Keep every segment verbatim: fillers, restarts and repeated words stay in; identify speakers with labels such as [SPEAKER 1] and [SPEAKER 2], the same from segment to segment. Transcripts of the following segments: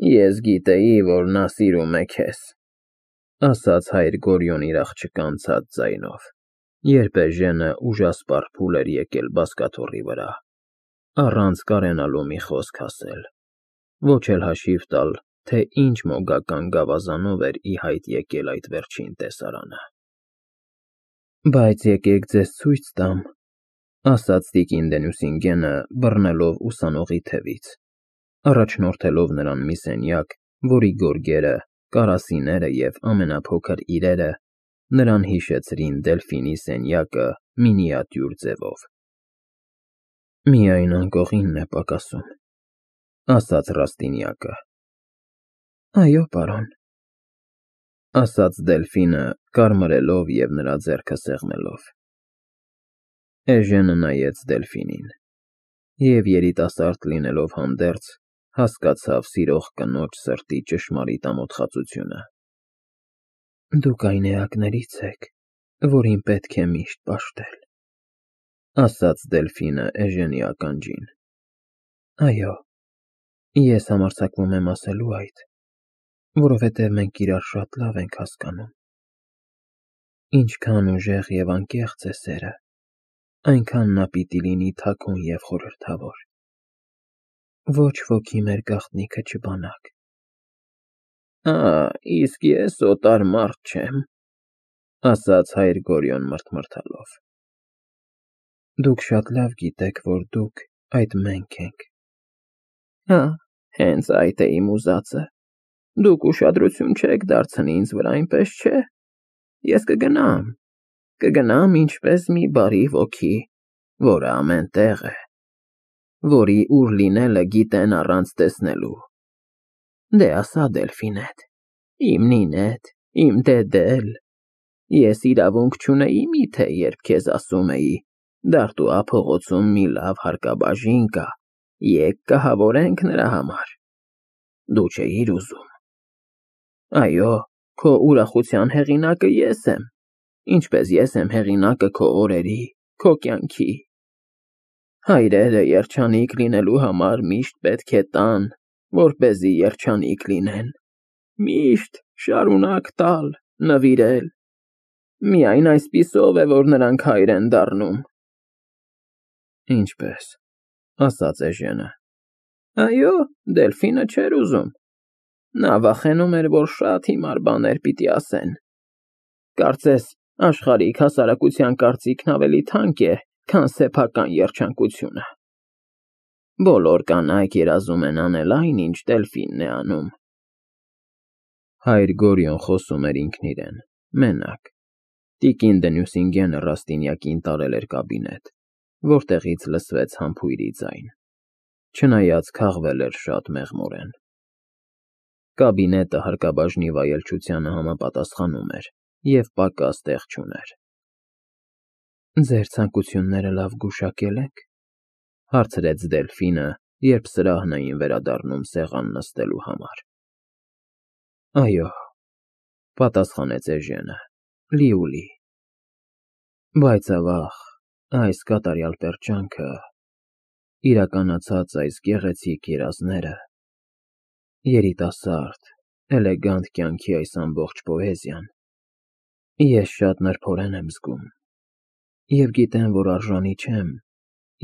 [SPEAKER 1] Ես գիտեի, որ նա սիրում է քեզ, ասաց հայր Գորիոն իր աղջկա անցած ձայնով, երբ Էժենը ուժասպառ փուլ էր եկել բազկաթոռի վրա, առանց կարենալու մի խոսք ասել, ոչ էլ հաշիվ տալ, թե ինչ մոգական գավազանով էր ի հայտ եկել այդ վերջին տեսարանը։ Բայց եկեք ձեզ ցույց տամ, ասաց տիկին Դենյուսինգենը, բռնելով ուսանողի թևից, առաջնորդելով նրան մի սենյակ, որի գորգերը, կարասիները և ամենափոքր իրերը նրան հիշեցրին Դելֆինի սենյակը մինիատյուր ձևով։ Միայն անկողինն է պակասում, ասաց Ռաստինյակը։ Այո, պարոն, ասաց Դելֆինը, կարմրելով և նրա ձեռքը սեղմելով։ Էժենը նայեց Դելֆինին, և երիտասարդ լինելով հանդերձ, հասկացավ սիրող կնոջ սրտի ճշմարիտ ամոթխածությունը։ Դուք այն էակներից եք, որին պետք է միշտ պաշտել, ասաց Դելֆինը Էժենի ականջին։ Այո, ես համարձակվում եմ ասելու այդ, որովհետև մենք իրար շատ լավ ենք հասկանում։ Ինչքան ուժեղ և անկեղծ է սերը, այնքան նա պիտի լինի թաքուն և խորհրդավոր։ Ոչ ոքի մեր գաղտնիքը չբանակ։ Ա, իսկ ես օտար մարդ չեմ, ասաց հայր Գորիոն մռթմռթալով։ Դուք շատ լավ գիտեք, որ դուք այդ մենք ենք։ Հա, հենց այդ է իմ ուզածը։ Դուք ուշադրություն չեք դարձնի ինձ վրա, այնպես չէ։ Ես կգնամ, կգնամ ինչպես մի բարի ոգի, որը ամեն տեղ է, որի ուր լինելը գիտեն առանց տեսնելու։ Դե ասա Դելֆինեդ, իմ Նինեդ, իմ Դեդել, ես իրավունք չունեի միթե, երբ քեզ ասում էի, Դարտուա փողոցում մի լավ հարկաբաժին կա, եկ կահավորենք նրա համար։ Դու չէիր ուզում։ Այո, քո ուրախության հեղինակը ես եմ, ինչպես ես եմ հեղինակը քո օրերի, քո կյանքի։ Հայրերը երջանիկ լինելու համար միշտ պետք է տան, որպեսզի երջանիկ լինեն, միշտ շարունակ տալ, նվիրել։ Միայն այսպիսով է, որ նրանք հայր են դառնում։ Ինչպես, ասաց Էժենը։ Այո, Դելֆինը չէր ուզում։ Նա վախենում էր, որ շատ հիմար բաներ պիտի ասեն։ Կարծես, աշխարհիկ հասարակության կարծիքն ավելի թանկ է, քան սեփական երջանկությունը։ Բոլոր կանայք երազում են անել այն, ինչ Դելֆինն է անում։ Հայր Գորիոն խոսում էր ինքն իրեն, մենակ։ Տիկին Դենյուսինգենը Ռաստինյակին տարել էր կաբինետ, որտեղից լսվեց համբույրի ձայն, չնայած քաղվել էր շատ մեղմորեն։ Կաբինետը հարկաբաժնի վայելչությանը համապատասխանում էր և պակաս տեղ չուներ։ Ձեր ցանկությունները լավ գուշակե՞լ եք, հարցրեց Դելֆինը, երբ սրահն էին վերադառնում սեղան նստելու համար։ Այո, պատասխանեց Էժենը, լիուլի։ Բայց ավաղ, այս կատարյալ պերճանքը, իրականացած այս գեղեցիկ երազները, երիտասարդ, էլեգանտ կյանքի այս ամբողջ պոեզիան, ես շատ նրբորեն եմ զգում, և գիտեմ, որ արժանի չեմ,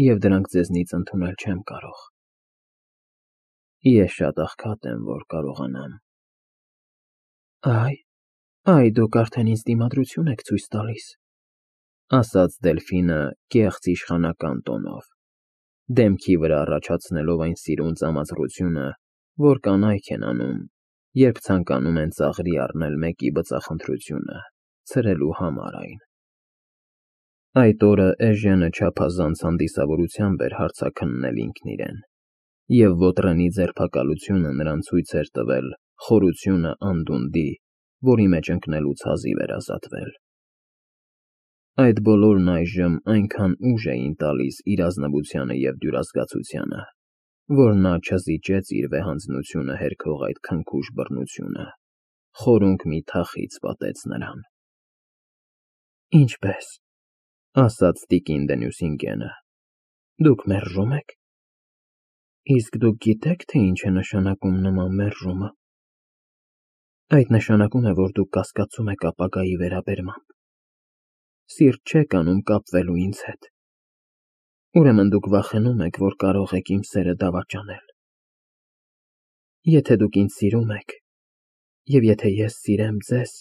[SPEAKER 1] և դրանք ձեզնից ընդունել չեմ կարող։ Ես շատ աղքատ եմ, որ կարողանամ։ Այ, այ դուք արդեն ինձ դիմադրություն եք ցույց տալիս, ասաց Դելֆինը կեղծ իշխանական տոնով, դեմքի վրա առաջացնելով այն սիրուն ծամածռությունը, որ կանայք են անում, երբ ցանկանում են ծաղրի առնել մեկի բծախնդրությունը, ցրելու համար այն։ Այդ օրը Էժենը չափազանց հանդիսավորությամբ էր հարցաքննել ինքն իրեն, և ոտրենի ձերբակալությունը նրան ցույց էր տվել խորությունը անդունդի, որի մեջ ընկնելուց հազիվ էր ազատվել։ Այդ բոլորն այժմ այնքան ուժ էին տալիս իր ազնվությանը և դյուրազգացությանը, որ նա չզիջեց իր վեհանձնությունը հերքող այդ քնքուշ բռնությունը, խորունկ մի թախիծ պատեց նրան։ Ինչպե՞ս, ասաց տիկին Դենյուսինգենը, դուք մերժում եք։ Իսկ դուք գիտեք, թե ինչ է նշանակում նման մերժումը։ Այդ նշանակում է, որ դուք կասկածում եք ապագայի վերաբերմամբ։ Սիրտ չեք անում կապվելու ինձ հետ։ Ուրեմն դուք վախենում եք, որ կարող եք իմ սերը դավաճանել։ Եթե դուք ինձ սիրում եք, և եթե ես սիրեմ ձեզ,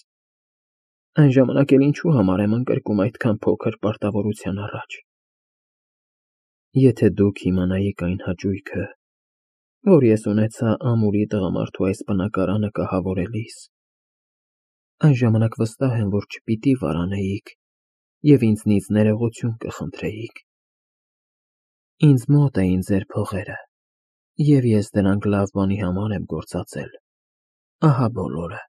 [SPEAKER 1] այն ժամանակ էլ ինչու համար եմ ընկրկում այդքան փոքր պարտավորության առաջ։ Եթե դուք իմանայիք այն հաճույքը, որ ես ունեցա ամուրի տղամարդու այս բնակարանը կահավորելիս, այն ժամանակ վստահ եմ, որ չպիտի վարանեիք և ինձնից ներողություն կխնդրեիք։ Ինձ մոտ էին ձեր փողերը, և ես դրանք լավ բանի համար եմ գործածել, ահա բոլորը։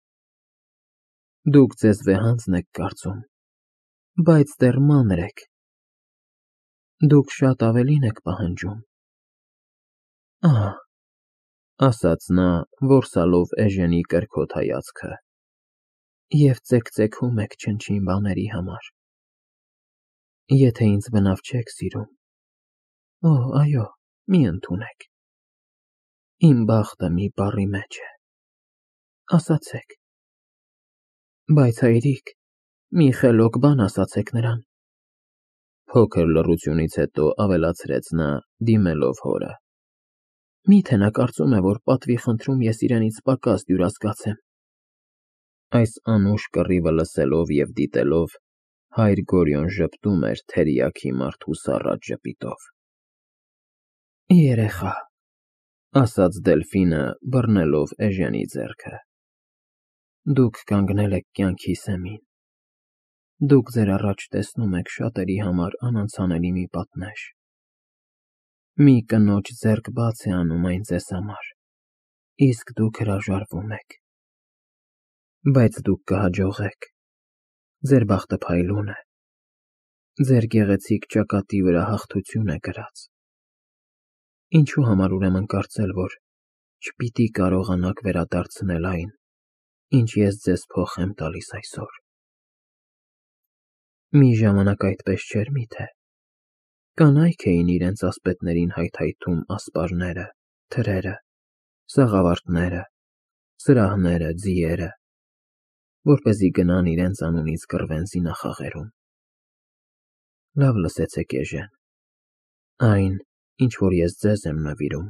[SPEAKER 1] Դուք ձեզ վեհանձն եք կարծում, բայց դեռ մանր եք։ Դուք շատ ավելին եք պահանջում։ Ահ, ասաց նա, որսալով Էժենի կրքոտ հայացքը, և ծեքծեքում եք չնչին բաների համար։ Եթե ինձ բնավ չեք սիրում, օ, այո, մի ընդունեք։ Իմ բախտը մի բառի մեջ է, ասացեք։ Բայց հայրիկ, մի խելոք բան ասացեք նրան։ Փոքր լռությունից հետո ավելացրեց նա, դիմելով հորը. Միթե նա կարծում է, որ պատվի խնդրում ես իրենից պակաս դյուրասկաց եմ։ Այս անուշ կռիվը լսելով և դիտելով, հայր Գորիոն ժպտում էր թերիաքի մարդու սառած ժպիտով։ Երեխա, ասաց Դելֆինը, բռնելով Էժենի ձեռքը, դուք կանգնել եք կյանքի սեմին։ Դուք ձեր առաջ տեսնում եք շատերի համար անանցանելի մի պատնեշ։ Մի կնոջ ձեռք բաց է անում այն ձեզ համար, իսկ դուք հրաժարվում եք։ Բայց դուք կհաջողեք։ Ձեր բախտը փայլուն է։ Ձեր գեղեցիկ ճակատի վրա հաղթություն է գրած։ Ինչու համար ուրեմն կարծել, որ չպիտի կարողանաք վերադարձնել այն, ինչ ես ձեզ փոխ եմ տալիս այսօր։ Մի ժամանակ այդպես չէր միթե։ Կանայք էին իրենց ասպետներին հայթայթում ասպարները, թրերը, սաղավարտները, սրահները, ձիերը, որպեսզի գնան իրենց անունից կռվեն զինախաղերում։ Լավ լսեցեք, Էժեն, այն, ինչ որ ես ձեզ եմ նվիրում,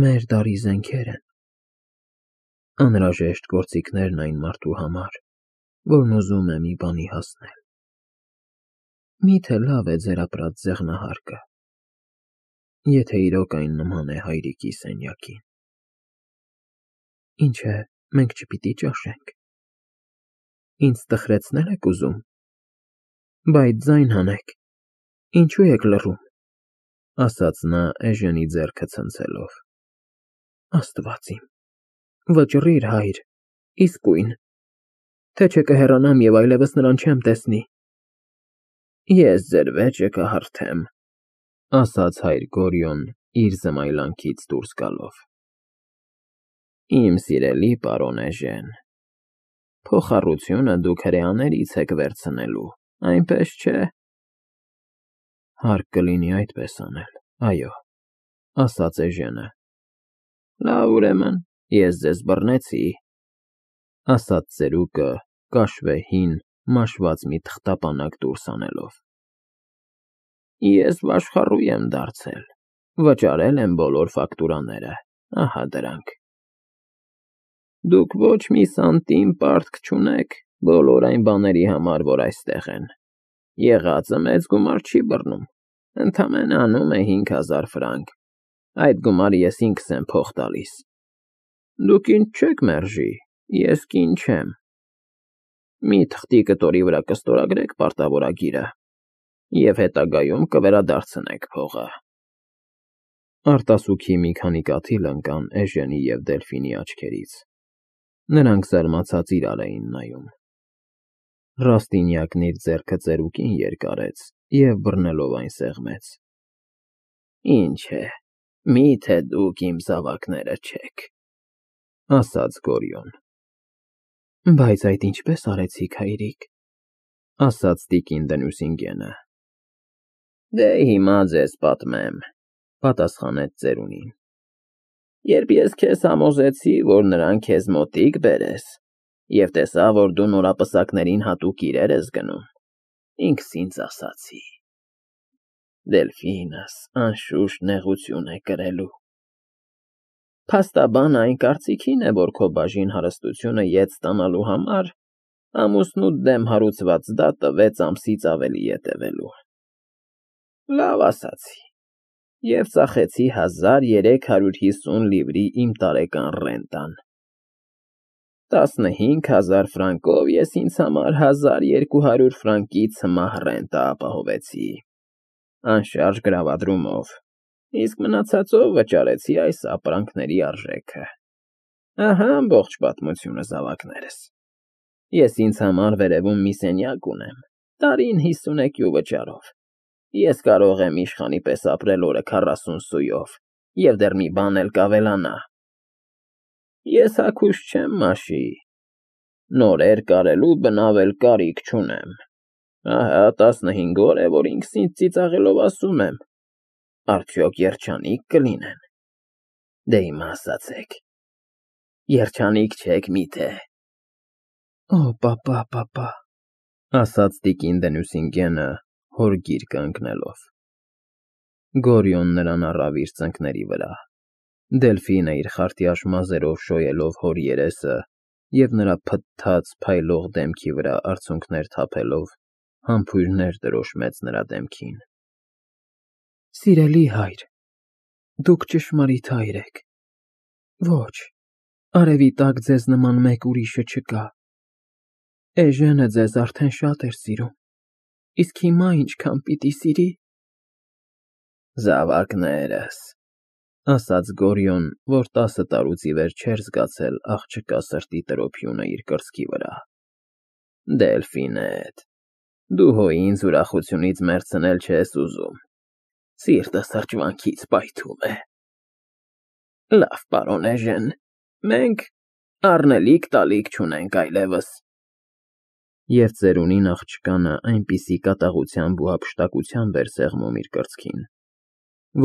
[SPEAKER 1] մեր դարի զենքեր են։ Անհրաժեշտ գործիքներն այն մարդու համար, որն ուզում է մի բանի հասնել։ Միթե լավ է ձեր ապրած ձեղնահարկը, եթե իրոք այն նման է հայրիկի սենյակին։ Ինչ է, մենք չպիտի ճաշենք։ Ինձ տխրեցնել եք ուզում։ Բայց ձայն հանեք, ինչու եք լռում, ասաց նա Էժենի ձեռքը ցնցելով։ Աստված իմ, վճռիր, հայր, իսկույն, թե չէ կհեռանամ և այլևս նրան չեմ տեսնի։ Ես ձեր վեճը կհարթեմ, ասաց հայր Գորիոն իր զմայլանքից դուրս գալով։ Իմ սիրելի պարոն Էժեն, փոխառությունը դուք հրեաներից եք վերցնելու, այնպես չէ։ Հարկ կլինի այդպես անել, այո, ասաց Էժենը։ Լավ, ուրեմն, ես ձեզ բռնեցի, ասաց ծերուկը, կաշվե հին, մաշված մի թղթապանակ դուրս անելով։ Ես վաշխառու եմ դարձել, վճարել եմ բոլոր ֆակտուրաները, ահա դրանք։ Դուք ոչ մի սանտիմ պարտք չունեք բոլոր այն բաների համար, որ այստեղ են։ Եղածը մեծ գումար չի բռնում, ընդամենը անում է հինգ հազար ֆրանկ, այդ գումարը ես ինքս եմ փոխ տալիս։ Դուք ինձ չեք մերժի, ես կին չեմ։ Մի թղթի կտորի վրա կստորագրեք պարտավորագիրը և հետագայում կվերադարձնեք փողը։ Արտասուքի մի քանի կաթիլ ընկան Էժենի և Դելֆինի աչքերից։ Նրանք զարմացած իրար էին նայում։ Ռաստինյակն իր ձեռքը ծերուկին երկարեց և բռնելով այն սեղմեց։ Ինչ է, միթե դուք իմ զավակները չեք, ասաց Գորիոն։ Բայց այդ ինչպես արեցիք, հայրիկ, ասաց տիկին Դնուսինգենը։ Դե հիմա ձեզ պատմեմ, Պատասխանեց ծերունին։ Երբ ես քեզ համոզեցի, որ նրան քեզ մոտիկ բերես, և տեսա, որ դու նորապսակներին հատուկ իրեր ես գնում, ինքս ինձ ասացի. Դելֆինս անշուշտ նեղություն է կրելու։ Փաստաբան այն կարծիքին է, որ քո բաժին հարստությունը ետ ստանալու համար ամուսնուդ դեմ հարուցված դատը վեց ամսից ավելի է տևելու։ Լավ ասացի, և ծախեցի հազար երեք հարյուր հիսուն լիվրի իմ տարեկան ռենտան։ Տասնհինգ հազար ֆրանկով ես ինձ համար հազար երկու հարյուր ֆրանկի ցմահ ռենտա ապահովեցի, անշարժ գրավադրումով, իսկ մնացածով վճարեցի այս ապրանքների արժեքը։ Ահա ամբողջ պատմությունը, զավակներս։ Ես ինձ համար վերևում մի սենյակ ունեմ, տարին հիսունեկյու վճարով։ Ես կարող եմ իշխանի պես ապրել օրը քառասուն սույով, և դեռ մի բան էլ կավելանա։ Ես հագուստ չեմ, մաշի, նորեր կարելու բնավ էլ կարիք չունեմ։ Ահա տասնհինգ օր է, որ ինքս ինձ ծիծաղելով ասում եմ. արդյոք երջանի՞ք կլինեն։ Դե հիմա ասացեք, երջանի՞ք չեք միթե։ Օ, պապա, պապա, ասաց տիկին Դենուսինգենը, հոր գիրկը ընկնելով։ Գորիոն նրան առավ իր ծնկների վրա։ Դելֆինը իր խարտյաշ մազերով շոյելով հոր երեսը և նրա փթթած, փայլող դեմքի վրա արցունքներ թափելով, համբույրներ տրոշմեց նրա դեմքին։ Սիրելի հայր, դուք ճշմարիտ հայր եք։ Ոչ, արևի տակ ձեզ նման մեկ ուրիշը չկա։ Էժենը ձեզ արդեն շատ էր սիրում, իսկ հիմա ինչքան պիտի սիրի։ Զավակներս, ասաց Գորիոն, որ տասը տարուց ի վեր չէր զգացել աղջկա սրտի տրոփյունը իր կրծքի վրա։ Դելֆինետ, դու հո ինձ ուրախությունից մեռցնել չես ուզում, սիրտս հրճվանքից պայթում է։ Լավ, պարոն էժեն, մենք առնելիք տալիք չունենք այլևս։ Եվ ծերունին աղջկանը այնպիսի կատաղությամբ ու հափշտակությամբ էր սեղմում իր կրծքին,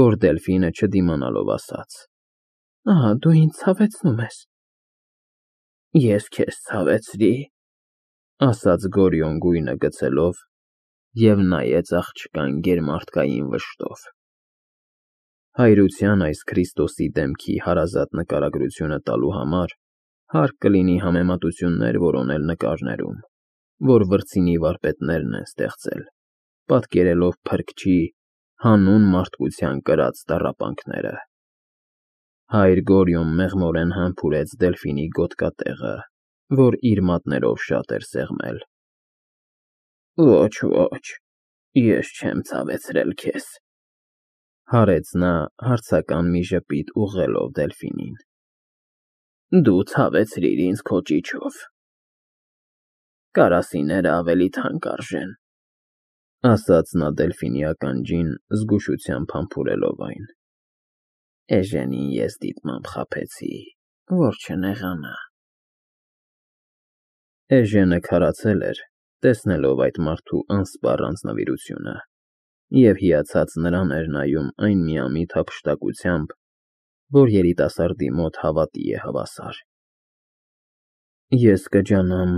[SPEAKER 1] որ Դելֆինը չդիմանալով ասաց. Ահա, դու ինձ ցավեցնում ես։ Ես քեզ ցավեցրի, ասաց Գորիոն գույնը գցելով և նայեց աղջկան գերմարդկային վշտով։ Հայրության այս Քրիստոսի դեմքի հարազատ նկարագրությունը տալու համար հարկ կլինի համեմատություններ որոնել նկարներում, որ վրձինի վարպետներն են ստեղծել, պատկերելով փրկչի, հանուն մարդկության կրած տառապանքները։ Հայր Գորիոն մեղմորեն համբուրեց Դելֆինի գոտկատեղը, որ իր մատներով շատ էր սեղմել։ Ոչ, ոչ, ես չեմ ցավեցրել քեզ, հարեց նա հարցական մի ժպիտ ուղղելով Դելֆինին։ Դու ցավեցրիր ինձ քո ճիչով։ Կարասիները ավելի թանկ արժեն, ասաց նա Դելֆինի ականջին, զգուշությամբ համբուրելով այն։ Էժենին ես դիտմամբ խաբեցի, որ չնեղանա։ Էժենը քարացել էր, տեսնելով այդ մարդու անսպառ անձնվիրությունը, և հիացած նրան էր նայում այն միամիտ հափշտակությամբ, որ երիտասարդի մոտ հավատի է հավասար։ Ես կջանամ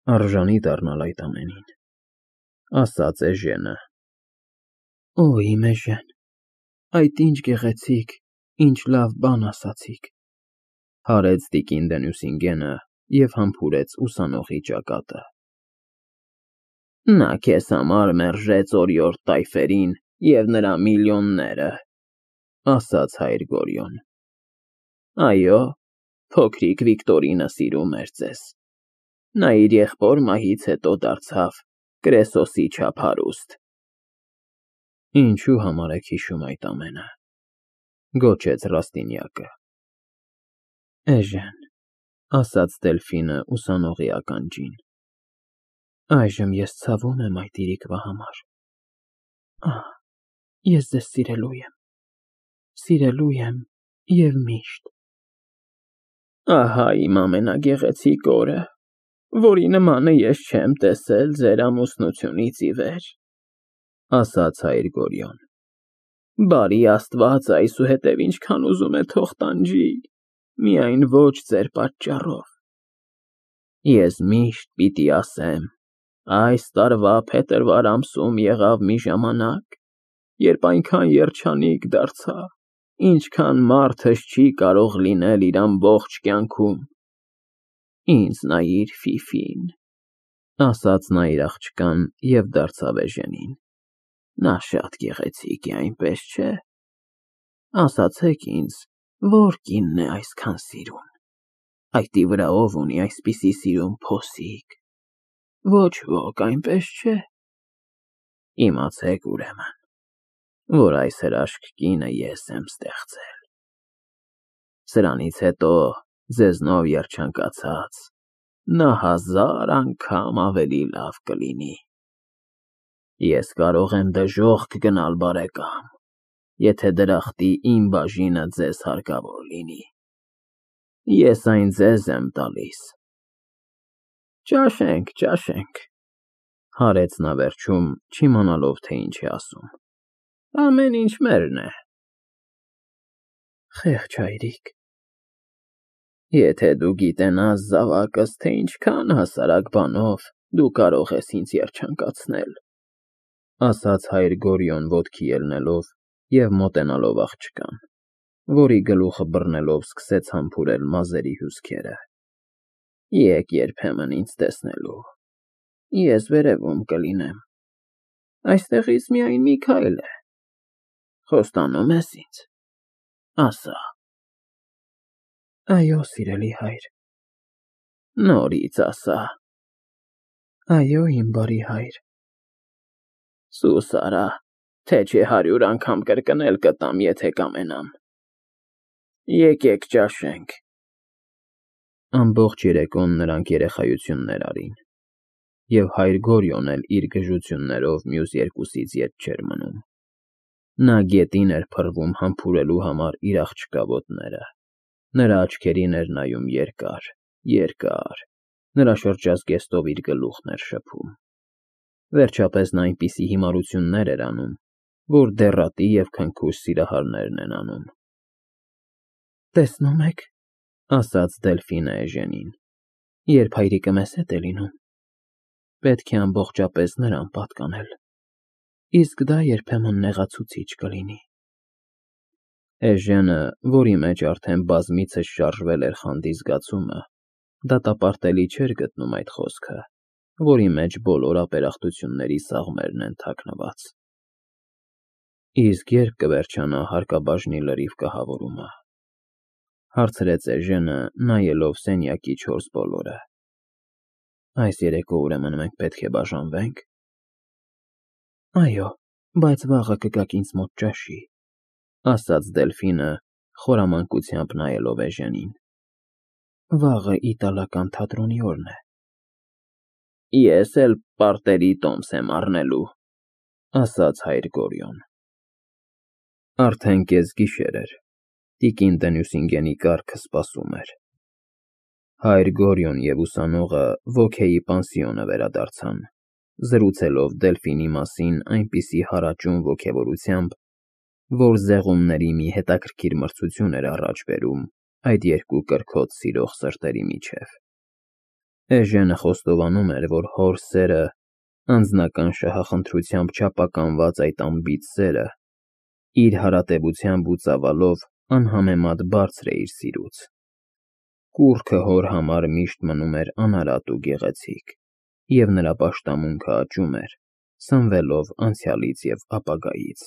[SPEAKER 1] արժանի դառնալ այդ ամենին, ասաց էժենը։ Օ, իմ էժեն, այդ ինչ գեղեցիկ, ինչ լավ բան ասացիք, հարեց տիկին Դենուսինգենը և համբուրեց ուսանողի ճակատը։ Նա քեզ համար մերժեց օրիորդ տայֆերին և նրա միլիոնները, ասաց հայր Գորիոն։ Այո, փոքրիկ Վիկտորինը սիրում էր ձեզ։ Նա իր եղբոր մահից հետո դարձավ Կրեսոսի չափ հարուստ։ Ինչու համար եք հիշում այդ ամենը, գոչեց Ռաստինյակը։ Էժեն, ասաց Դելֆինը ուսանողի ականջին, այժմ ես ցավում եմ այդ իրիկվա համար։ Ահ, ես ձեզ սիրելու եմ, սիրելու եմ և միշտ։ Ահա իմ ամենագեղեցիկ օրը, որի նմանը ես չեմ տեսել ձեր ամուսնությունից ի վեր, ասաց հայր Գորիոն։ Բարի Աստված, այսուհետև ինչքան ուզում է թող տանջի, միայն ոչ ձեր պատճառով։ Ես միշտ պիտի ասեմ, այս տարվա փետրվար ամսում եղավ մի ժամանակ, երբ այնքան երջանիկ դարձա, ինչքան մարդս չի կարող լինել իր ամբողջ կյանքում։ Ինձ նայիր, Ֆիֆին, ասաց նա իր աղջկան և դարձավ Էժենին, նա շատ գեղեցիկ է, այնպես չէ՞։ Ասացեք ինձ, որ կինն է այսքան սիրուն, այդի վրա ով ունի այսպիսի սիրուն փոսիկ, ոչ ոք, այնպես չէ՞։ Իմացեք ուրեմն, որ այս հրաշք կինը ես եմ ստեղծել։ Սրանից հետո ձեզնով երջանկացած նա հազար անգամ ավելի լավ կլինի։ Ես կարող եմ դժոխք գնալ, բարեկամ, եթե դրախտի իմ բաժինը ձեզ հարկավոր լինի։ Ես այն ձեզ եմ տալիս։ Ճաշենք, ճաշենք, հարեց նա վերջում, չիմանալով, թե ինչ է ասում, ամեն ինչ մերն է։ Խեղճ հայրիկ, եթե դու գիտենաս, զավակս, թե ինչքան հասարակ բանով դու կարող ես ինձ երջանկացնել, ասաց հայր Գորիոն ոտքի ելնելով և մոտենալով աղջկան, որի գլուխը բռնելով սկսեց համբուրել մազերի հյուսքերը, եկ երբեմն ինձ տեսնելու, ես վերևում կլինեմ, այստեղից միայն մի քայլ է, խոստանո՞ւմ ես ինձ, ասա։ Այո, սիրելի հայր։ Նորից ասա։ Այո, իմ բարի հայր։ Սուս արա, թե չէ հարյուր անգամ կրկնել կտամ, եթե կամենամ։ Եկեք ճաշենք։ Ամբողջ երեկոն նրանք երեխայություններ արին, և հայր Գորիոն էլ իր գժություններով մյուս երկուսից ետ չէր մնում։ Նա գետին էր փռվում համբուրելու համար իր աղջկա ոտները, նրա աչքերին էր նայում երկար, երկար, նրա շրջազգեստով իր գլուխն էր շփում։ Վերջապես նա այնպիսի հիմարություններ էր անում, որ դեռատի և քնքուշ սիրահարներն են անում։ Տեսնում եք, ասաց Դելֆինը Էժենին, երբ հայրիկը մեզ հետ է լինում, պետք է ամբողջապես նրան պատկանել, իսկ դա երբեմն նեղացուցիչ կլինի։ Էժենը, որի մեջ արդեն բազմիցս շարժվել էր խանդի զգացումը, դատապարտելի չէր գտնում այդ խոսքը, որի մեջ բոլոր ապերախտությունների սաղմերն են թաքնված։ Իսկ ե՞րբ կվերջանա հարկաբաժնի լրիվ կահավորումը, հարցրեց Էժենը, նայելով սենյակի չորս բոլորը։ Այս երեկո ուրեմն մենք պետք է բաժանվե՞նք։ Այո, բայց վաղը կգաք ինձ մոտ ճաշի, ասաց Դելֆինը, խորամանկությամբ նայելով Էժենին։ Վաղը իտալական թատրոնի օրն է։ Ես էլ պարտերի տոմս եմ առնելու, ասաց հայր Գորիոն։ Արդեն կեսգիշեր էր, տիկին Տնյուսինգենի կառքը սպասում էր։ Հայր Գորիոն և ուսանողը Ոքեի պանսիոնը վերադարձան, զրուցելով Դելֆինի մասին այնպիսի հարաճուն ոգևորությամբ, որ զեղումների մի հետաքրքիր մրցություն էր առաջ բերում այդ երկու կրքոտ սիրող սրտերի միջև։ Էժենը խոստովանում էր, որ հոր սերը, անձնական շահախնդրությամբ չափականված այդ անբիծ սերը, իր հարատևությամբ ու ծավալով անհամեմատ բարձր է իր սիրուց։ Կուռքը հոր համար միշտ մնում էր անարատ ու գեղեցիկ, և նրա պաշտամունքը աճում էր, սնվելով անցյալից և ապագայից։